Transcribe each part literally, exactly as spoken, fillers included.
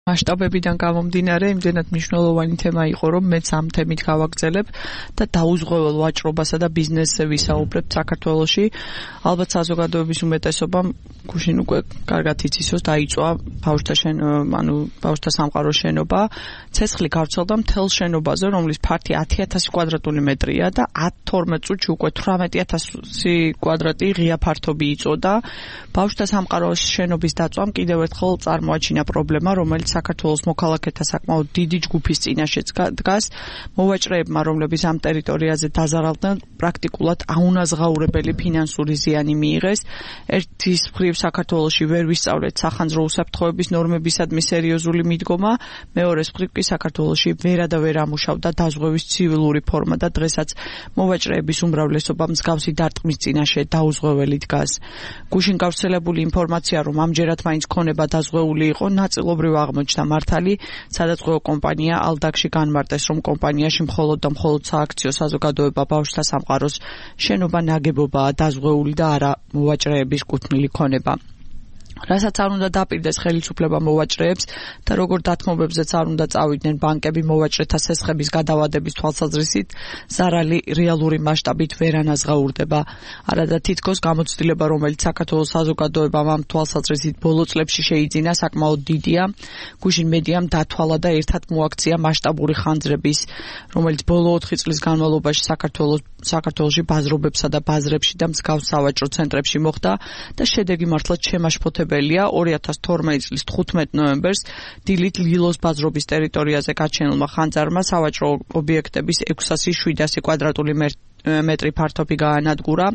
მასშტაბებიდან გამომდინარე, იმდენად მნიშვნელოვანი თემა იყო, რომ მეც ამ თემით გავაგრძელებ და დაუზღვეველ ვაჭრობასა და ბიზნესზე ვისაუბრებ საქართველოში. ალბათ საზოგადოების უმეტესობამ გუშინ უკვე კარგად იცისოს, დაიწვა ბავშვთა შენ, ანუ ბავშვთა სამყაროს შენობა. ცეცხლი გავრცელდა მთელ შენობაზე, რომლის ფართი ათი ათასი კვადრატული მეტრია და თორმეტ წუთში უკვე თვრამეტი ათასი კვადრატი ღია ფართობი იწოდა. ბავშვთა სამყაროს შენობის დაწვამ კიდევ ერთხელ წარმოაჩინა პრობლემა, რომელიც საქართველოს მოქალაქეთა საკმაოდ დიდი ჯგუფის წინაშეც დგას. მოვაჭრეებმა, რომლებიც ამ ტერიტორიაზე დაზარალდნენ, პრაქტიკულად აუნაზღაურებელი ფინანსური ზიანი მიიღეს. ერთის მხრივ საქართველოში ვერ ვისწავლეთ სახანძრო უსაფრთხოების ნორმებისადმი სერიოზული მიდგომა, მეორეს მხრივ კი საქართველოში ვერა და ვერ ამუშავდა დაზღვევის ცივილური ფორმა და დღესაც მოვაჭრეების უმრავლესობა მსგავსი დარტყმის წინაშე დაუზღვეველი დგას. გუშინ გავრცელებული ინფორმაცია, რომ ამჯერად მაინც ქონება დაზღვეული იყო, ნაწილობრივ აღმოჩნდა მართალი. სადაზღვეო კომპანია ალდაკში განმარტეს, რომ კომპანიაში მხოლოდ და მხოლოდ სააქციო საზოგადოება ბავშვთა სამყაროს შენობა ნაგებობაა დაზღვეული და არა მოვაჭრეების კუთვნილი ქონება. რასაც არ უნდა დაპირდეს ხელისუფლება მოვაჭრეებს და როგორ დათმობებზეც არ უნდა წავიდნენ ბანკები მოვაჭრეთა სესხების გადავადების თვალსაზრისით, ზარალი რეალური მასშტაბით ვერ ანაზღაურდება. არადა თითქოს გამოცდილება, რომელიც საქართველოს საზოგადოებამ ამ თვალსაზრისით ბოლო წლებში შეიძინა, საკმაოდ დიდია. გუშინ მედიამ დათვალა და ერთად მოაქცია მასშტაბური ხანძრების, რომელიც ბოლო ოთხი წლის განმავლობაში საქართველოს საქართველოში ბაზრობებსა და ბაზრებში და მსგავს სავაჭრო ცენტრებში მოხდა და შედეგი მართლაც შემაშფოთებელია. ორი ათას თორმეტი წლის თხუთმეტ ნოემბერს დილით ლილოს ბაზრობის ტერიტორიაზე გაჩენილმა ხანძარმა სავაჭრო ობიექტების ექვსასი შვიდასი კვადრატული მეტრი ფართობი გაანადგურა.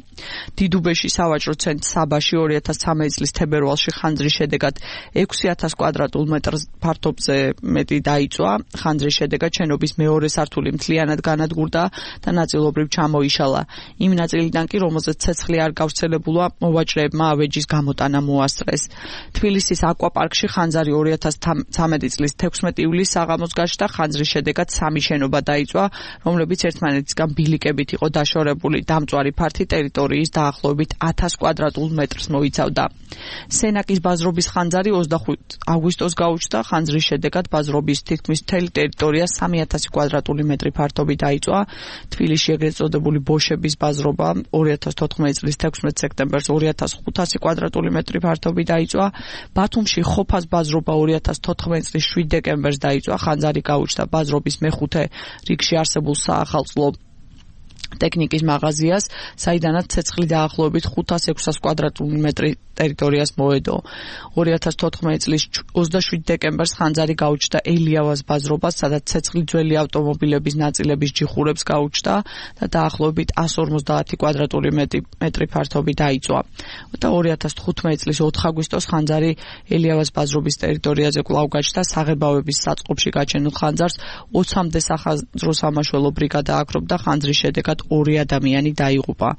დიდუბეში სავაჭრო ცენტრ საბაში ორი ათას ცამეტი წლის თებერვალში ხანძრის შედეგად ექვსი ათას კვადრატულ მეტრ ფართობზე მეტი დაიწვა. ხანძრის შედეგად შენობის მეორე სართული მთლიანად განადგურდა და ნაწილობრივ ჩამოიშალა. იმ ნაწილიდან კი, რომელზეც ცეცხლი არ გავრცელებულა, მოვაჭრეებმა ავეჯის გამოტანა მოასწრეს. თბილისის აკვაპარკში ხანძარი ორი ათას ცამეტი წლის თექვსმეტი ივლისს საღამოს გაჩნდა. ხანძრის შედეგად სამი შენობა დაიწვა, რომლებიც ერთმანეთისგან ბილიკებით იყო დაშორებული. დამწვარი ფართი ტერიტორიის დაახლოებით ათას კვადრატულ მეტრს მოიცავდა. სენაკის ბაზრობის ხანძარი ოცდახუთ აგვისტოს გაუჩნდა. ხანძრის შედეგად ბაზრობის თითქმის მთელი ტერიტორია სამი ათასი კვადრატული მეტრი ფართობი დაიწვა. თბილისში ეგრეთ წოდებული ბოშების ბაზრობა ორი ათას თოთხმეტი წლის თექვსმეტ სექტემბერს ორი ათას ხუთასი კვადრატული მეტრი ფართობი დაიწვა. ბათუმში ხოფას ბაზრობა ორი ათას თოთხმეტი წლის შვიდ დეკემბერს დაიწვა. ხანძარი გაუჩნდა ბაზრობის მეხუთე რიგში არსებულ საახალწლო ტექნიკის მაღაზიას, საიდანაც ცეცხლი დაახლოებით ხუთას ექვსას კვადრატული მეტრი ტერიტორიას მოედო. ორი ათას თოთხმეტი წლის ოცდაშვიდ დეკემბერს ხანძარი გაუჩნდა ელიავას ბაზრობას, სადაც ცეცხლი ძველი ავტომობილების ნაწილების ჯიხურებს გაუჩნდა და დაახლოებით εκατს ორმოცდაათი კვადრატული მეტრი ფართობი დაიწვა. და ორი ათას თხუთმეტი წლის ოთხ აგვისტოს ხანძარი ელიავას ბაზრობის ტერიტორიაზე კვლავ გაჩნდა. საღებავების საწყობში გაჩენილ ხანძარს ოცამდე სახანძრო სამაშველო ბრიგადა აკრობდა. ხანძრის შედეგად ორი ადამიანი დაიღუპა.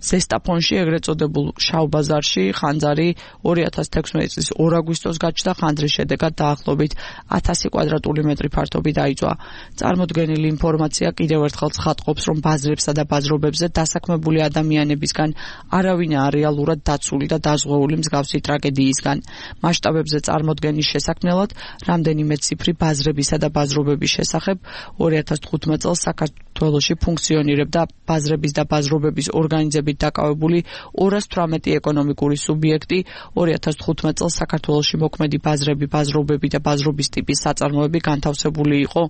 ზესტაფონში, ეგრეთ წოდებულ შავ ბაზარში, ხანძარი ორი ათას თექვსმეტი წლის ორ აგვისტოს გაჩნდა. ხანძრის შედეგად დაახლოებით ათასი კვადრატული მეტრი ფართობი დაიწვა. წარმოდგენილი ინფორმაცია კიდევ ერთხელ ცხადყოფს, რომ ბაზრებსა და ბაზრობებზე დასაქმებული ადამიანებისგან არავინაა რეალურად დაცული და დაზღვეული მსგავსი ტრაგედიისგან. მასშტაბებზე წარმოდგენის შესაქმნელად რამდენიმე ციფრი ბაზრებისა და ბაზრობების შესახებ ორი ათას თხუთმეტ წელს საქართველოში ფუნქციონირებდა ბაზრების და ბაზრობების ორგანიზებით დაკავებული ორას თვრამეტი ეკონომიკური სუბიექტი. ორი ათას თხუთმეტ წელს საქართველოში მოქმედი ბაზრები, ბაზრობები და ბაზრობის ტიპის საწარმოები განთავსებული იყო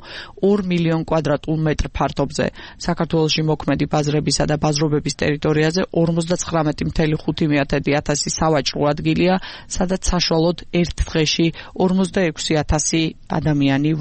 ორ მილიონ კვადრატულ მეტრ ფართობზე. საქართველოში მოქმედი ბაზრებისა და ბაზრობების ტერიტორიაზე ორმოცდაცხრამეტი მცდარი ათასი სავაჭრო ადგილია, სადაც საშუალოდ ერთ დღეში ორმოცდაექვსი ათასი ადამიანი